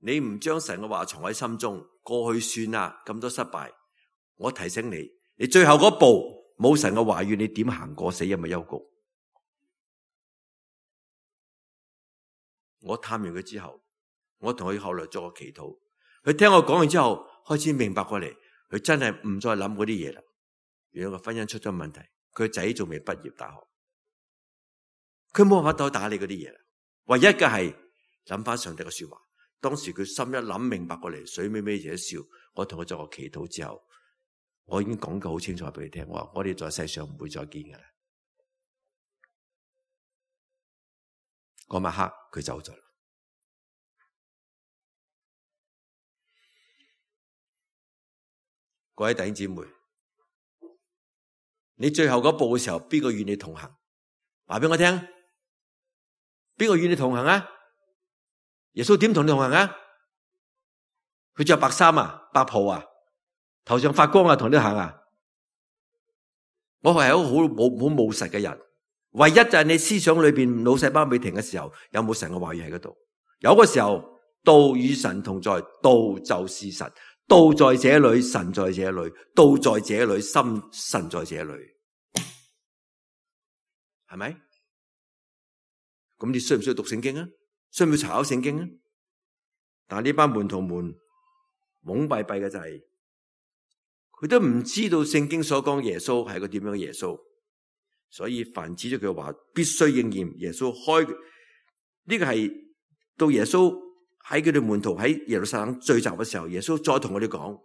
B: 你唔將神嘅話藏喺心中，過去算啦，咁多失敗。我提醒你，你最後嗰步冇神嘅話語，你點行過死蔭嘅幽谷？我探完佢之後，我同佢後來做個祈禱，佢聽我講完之後，開始明白過嚟，佢真係唔再諗嗰啲嘢啦。原來個婚姻出咗問題，佢個仔仲未畢業大學，佢冇辦法再打理嗰啲嘢啦。唯一嘅係諗翻上帝嘅說話。當時佢心一諗明白過嚟，水尾尾就一笑。我同佢做個祈禱之後，我已經講得好清楚俾佢聽，我話我哋在世上唔會再見㗎啦。嗰晚黑佢走咗啦。各位弟兄姊妹，你最後嗰步嘅時候，邊個與你同行？話俾我聽，邊個與你同行啊？耶穌點同你同行啊？佢着白衫啊，白袍啊，頭上發光啊，同你行啊？我係一個好冇好務實嘅人，唯一就係你思想裏邊腦細胞未停嘅時候，有冇神嘅話語喺嗰度？有嘅時候，道與神同在，道就是神。道在這裏，神在這裏；道在這裏，心神在這裏，係咪？咁你需唔需要讀聖經啊？需唔需要查考聖經啊？但係呢班門徒們懵閉閉嘅就係、是，佢都唔知道聖經所講耶穌係個點樣嘅耶穌，所以凡指咗佢嘅話必須應驗。耶穌開呢、這個係到耶穌。喺佢哋門徒喺耶路撒冷聚集嘅時候，耶穌再同我哋講：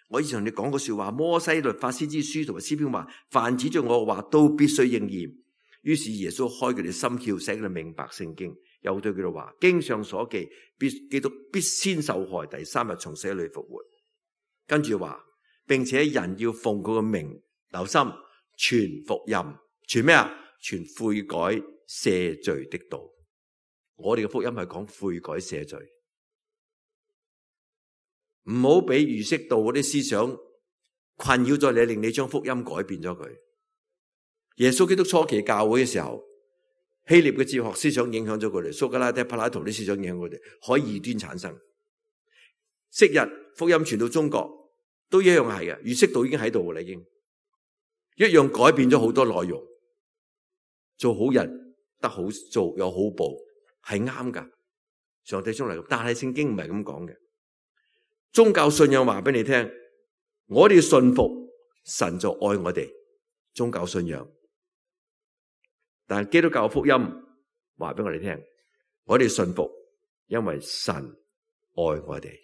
B: 我以前同你講過說話，摩西律法先知書同埋詩篇話，凡指著我嘅話都必須應驗。於是耶穌開佢哋心竅，使佢哋明白聖經，又對佢哋話：經上所記，必基督必先受害，第三日從死裏復活。跟住話，並且人要奉佢嘅名，留心傳福音，傳咩啊？傳悔改赦罪的道。我哋嘅福音係講悔改赦罪，唔好俾儒釋道嗰啲思想困擾咗你，令你將福音改變咗佢。耶穌基督初期教會嘅時候，希臘嘅哲學思想影響咗佢哋，蘇格拉底、柏拉圖啲思想影響佢哋，可以異端產生。昔日福音傳到中國都一樣係嘅，儒釋道已經喺度啦，已經一樣改變咗好多內容。做好人得好做，有好報係啱噶，上帝中嚟，但係聖經唔係咁講嘅。宗教信仰話俾你聽，我哋信服神就愛我哋，宗教信仰。但係基督教福音話俾我哋聽，我哋信服，因為神愛我哋。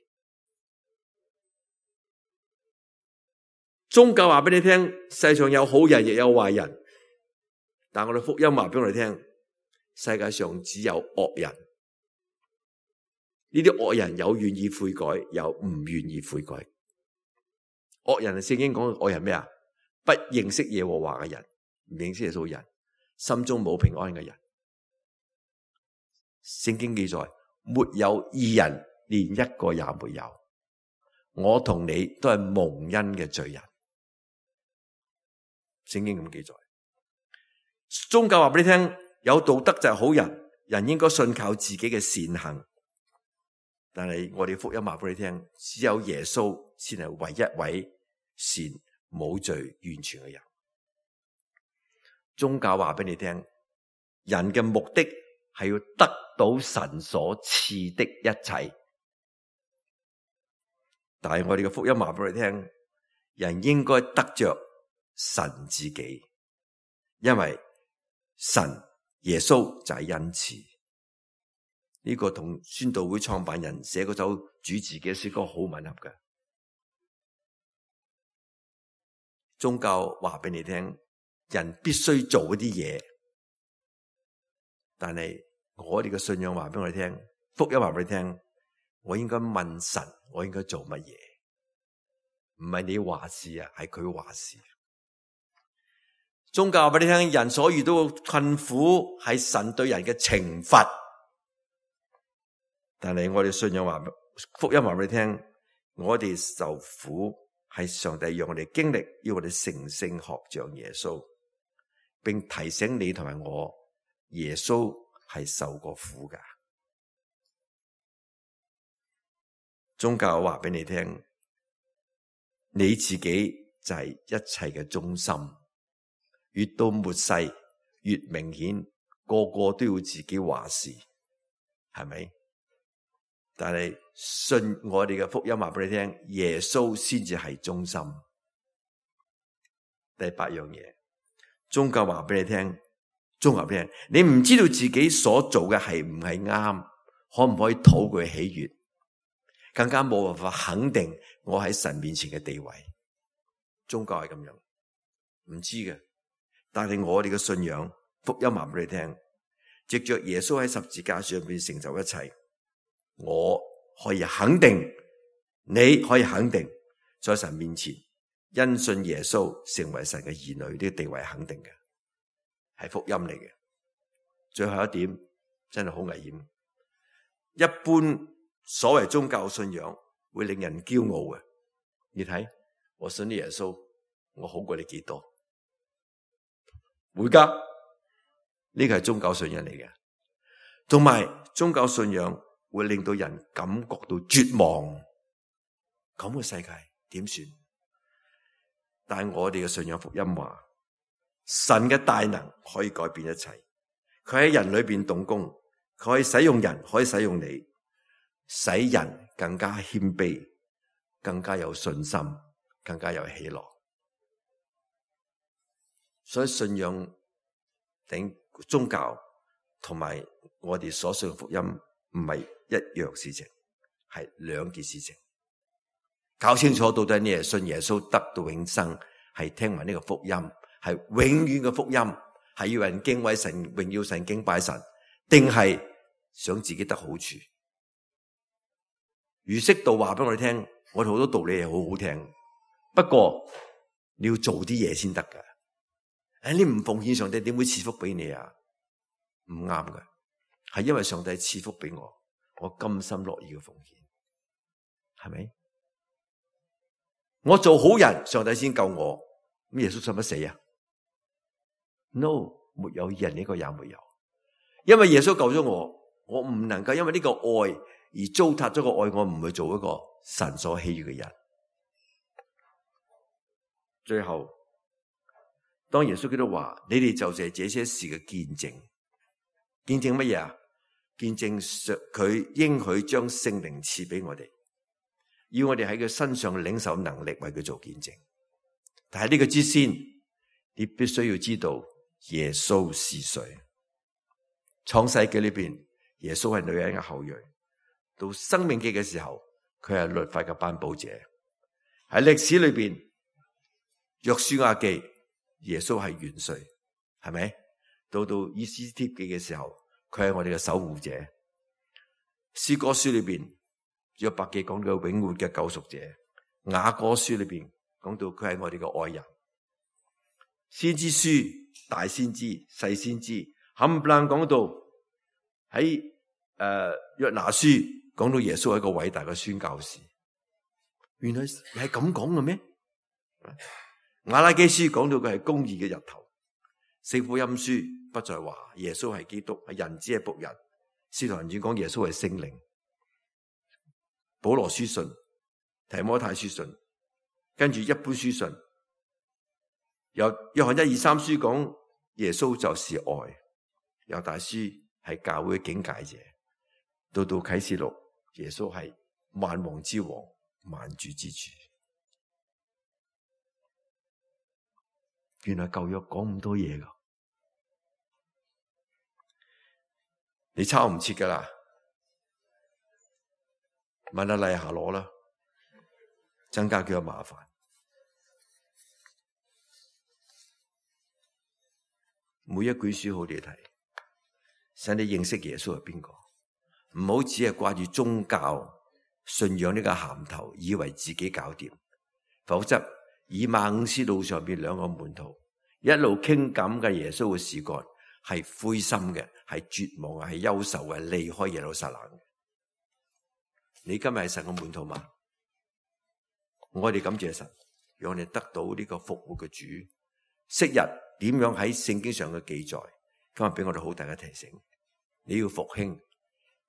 B: 宗教話俾你聽，世上有好人亦有壞人，但我哋福音話俾我哋聽，世界上只有惡人。呢啲惡人有願意悔改，有唔願意悔改。惡人係聖經講嘅惡人咩啊？不認識耶和華嘅人，唔認識耶穌嘅人，心中冇平安嘅人。聖經記載，沒有義人，連一個也沒有。我同你都係蒙恩嘅罪人。聖經咁記載。宗教話俾你聽，有道德就係好人，人應該信靠自己嘅善行。但係我哋福音話俾你聽，只有耶穌先係唯一位善冇罪完全嘅人。宗教話俾你聽，人嘅目的係要得到神所賜的一切。但係我哋嘅福音話俾你聽，人應該得着神自己，因為神耶穌就係恩賜。呢、這個同宣道會創辦人寫嗰首主自己嘅詩歌好吻合嘅。宗教話俾你聽，人必須做一啲嘢，但係我哋嘅信仰話俾我哋聽，福音話俾你聽，我應該問神，我應該做乜嘢？唔係你話事啊，係佢話事。宗教話俾你聽，人所遇到嘅困苦係神對人嘅懲罰。但係我哋信仰話，福音話俾你聽，我哋受苦係上帝讓我哋經歷，要我哋成聖學像耶穌，並提醒你同埋我，耶穌係受過苦噶。宗教話俾你聽，你自己就係一切嘅中心，越到末世越明顯，個個都要自己話事，係咪？但係信我哋嘅福音話俾你聽，耶穌先至係中心。第八樣嘢，宗教話俾你聽，宗教話俾你聽，你唔知道自己所做嘅係唔係啱，可唔可以討佢喜悅，更加冇辦法肯定我喺神面前嘅地位。宗教係咁樣，唔知嘅。但係我哋嘅信仰，福音話俾你聽，藉着耶穌喺十字架上邊成就一切。我可以肯定，你可以肯定，在神面前因信耶穌成為神嘅兒女，呢個地位肯定嘅，係福音嚟嘅。最後一點真係好危險，一般所謂宗教信仰會令人驕傲嘅。你睇，我信啲耶穌，我好過你幾多？會噶，呢個係宗教信仰嚟嘅。同埋宗教信仰會令到人感覺到絕望，咁嘅世界點算？但係我哋嘅信仰福音話，神嘅大能可以改變一切，佢喺人裏邊動工，佢可以使用人，可以使用你，使人更加謙卑，更加有信心，更加有喜樂。所以信仰頂宗教同埋我哋所信嘅福音唔係一樣事情，係兩件事情。搞清楚到底你係信耶穌得到永生，係聽聞呢個福音，係永遠嘅福音，係要人敬畏神、榮耀神、敬拜神，定係想自己得好處？儒釋道話俾我哋聽，我哋好多道理係好好聽，不過你要做啲嘢先得噶。誒，你唔奉獻上帝點會賜福俾你啊？唔啱噶。係因為上帝賜福俾我，我甘心樂意嘅奉獻，係咪？我做好人，上帝先救我，咁耶穌使乜死啊 ？No， 沒有人呢個也沒有，因為耶穌救咗我，我唔能夠因為呢個愛而糟蹋咗個愛，我唔去做一個神所喜悅嘅人。最後，當耶穌基督話：你哋就係這些事嘅見證，見證乜嘢啊？見證佢應許將聖靈賜俾我哋，要我哋喺佢身上領受能力為佢做見證。但係呢個之先，你必須要知道耶穌是誰。創世記裏邊，耶穌係女人嘅後裔；到生命記嘅時候，佢係律法嘅頒布者。喺歷史裏邊，約書亞記，耶穌係元帥，係咪？到到以斯帖記嘅時候，佢係我哋嘅守護者。詩歌書裏邊，約伯記講到永活嘅救贖者。雅歌書裏邊講到佢係我哋嘅愛人。先知書、大先知、細先知，冚唪唥講到喺誒約拿書講到耶穌係一個偉大嘅宣教士。原來係咁講嘅咩？雅拉基書講到佢係公義嘅日頭。四福音書不再話耶穌係基督，係人子係僕人。使徒行傳講耶穌係聖靈。保羅書信、提摩太書信，跟住一般書信，由約翰一二三書講耶穌就是愛，猶大書係教會嘅警戒者，到到啟示錄，耶穌係萬王之王、萬主之主。原來舊約講咁多嘢噶，你抄唔切噶啦，問阿麗霞攞啦，增加幾多麻煩。每一卷書好你睇，使你認識耶穌係邊個，唔好只係掛住宗教信仰呢個銜頭，以為自己搞掂，否則以馬忤斯路上邊兩個門徒一路傾緊嘅耶穌嘅事幹，係灰心嘅，係絕望嘅，係憂愁嘅，離開耶路撒冷嘅。你今日係神嘅門徒嘛？我哋感謝神，讓我哋得到呢個復活嘅主。昔日點樣喺聖經上嘅記載，今日俾我哋好大嘅提醒。你要復興，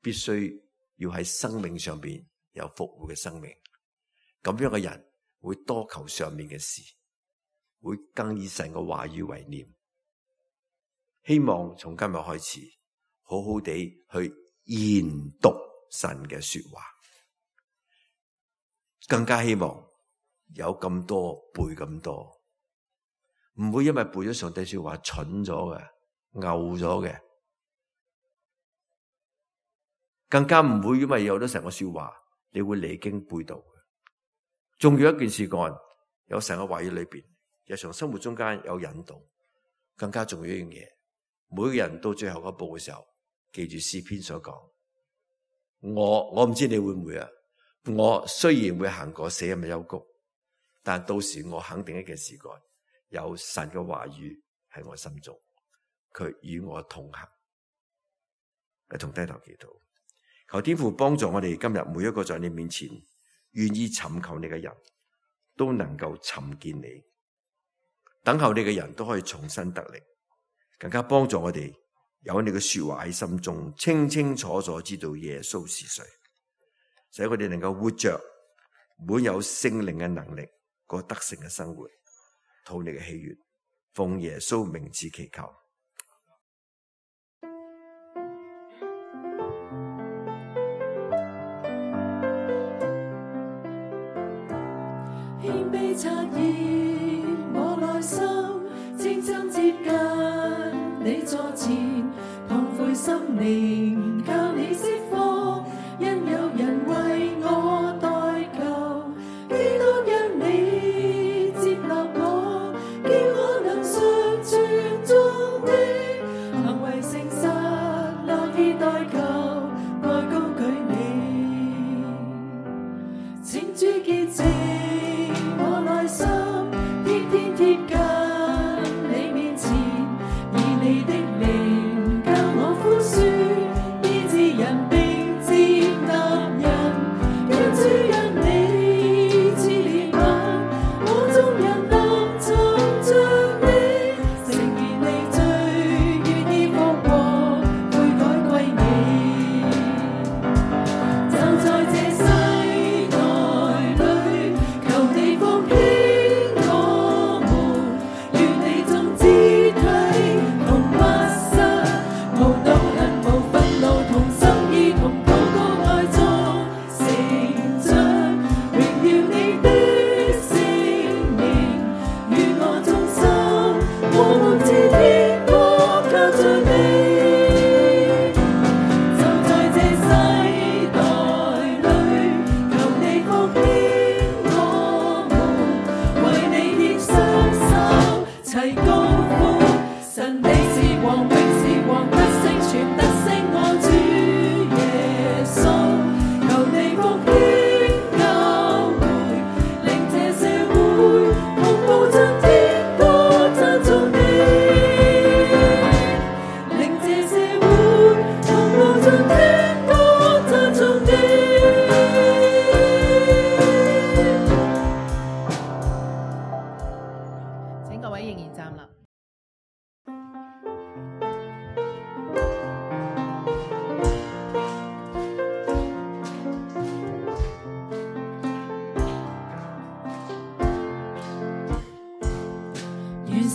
B: 必須要喺生命上邊有復活嘅生命。咁樣嘅人會多求上面嘅事，會更以神嘅話語為念。希望從今日開始，好好地去研讀神嘅說話，更加希望有咁多背咁多，唔會因為背咗上帝說話蠢咗嘅、牛咗嘅，更加唔會因為有咗神嘅說話，你會離經背道嘅。仲要一件事幹，有神嘅話語裏邊，日常生活中間有引導，更加重要一樣嘢。每個人到最後一步嘅時候，記住詩篇所講，我我唔知你會唔會啊？我雖然會行過死蔭嘅幽谷，但到時我肯定一件事幹，有神嘅話語喺我心中，佢與我同行。一同低頭祈禱，求天父幫助我哋今日每一個在你面前願意尋求你嘅人，都能夠尋見你，等候你嘅人都可以重新得力，更加幫助我哋有你嘅說話喺心中，清清楚楚知道耶穌是誰，使我哋能夠活着滿有聖靈嘅能力，過得勝嘅生活，討你嘅喜悅，奉耶穌名字祈求。
C: 謙卑察驗我內心，清真接近你座前，痛悔心靈靠你釋放，因有人為我代求，基督因你接納我，叫我能常存眾的行為誠實，樂意代求，愛高舉你，請主潔淨我內心，天天貼近你面前，以你的靈教我寬恕，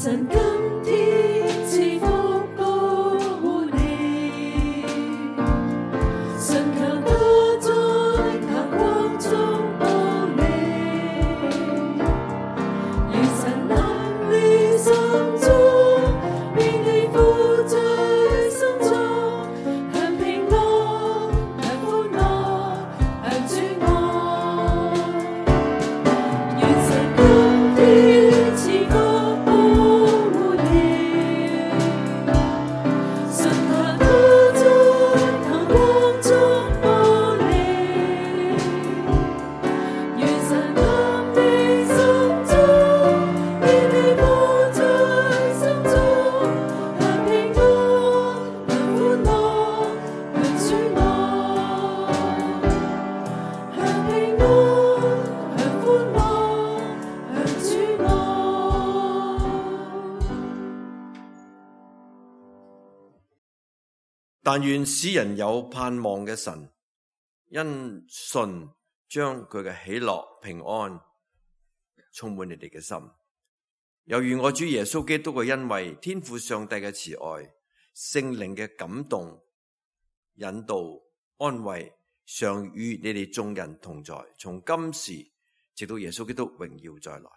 C: 神今天賜福保護你，信靠他在他光中保你，願神臨你心中，免你負在心中，享平安，享歡樂，享主愛。願神今天賜福保護你，信靠他在他光中保你，願神臨你心中，免你負在心中，享平安，享歡樂，享主愛。享平安，享歡樂，享主愛。
B: 但願使人有盼望嘅神，因信將佢嘅喜樂平安充滿你哋嘅心。又願我主耶穌基督嘅恩惠、天父上帝嘅慈愛、聖靈嘅感動、引導、安慰，常與你哋眾人同在，從今時直到耶穌基督榮耀再來。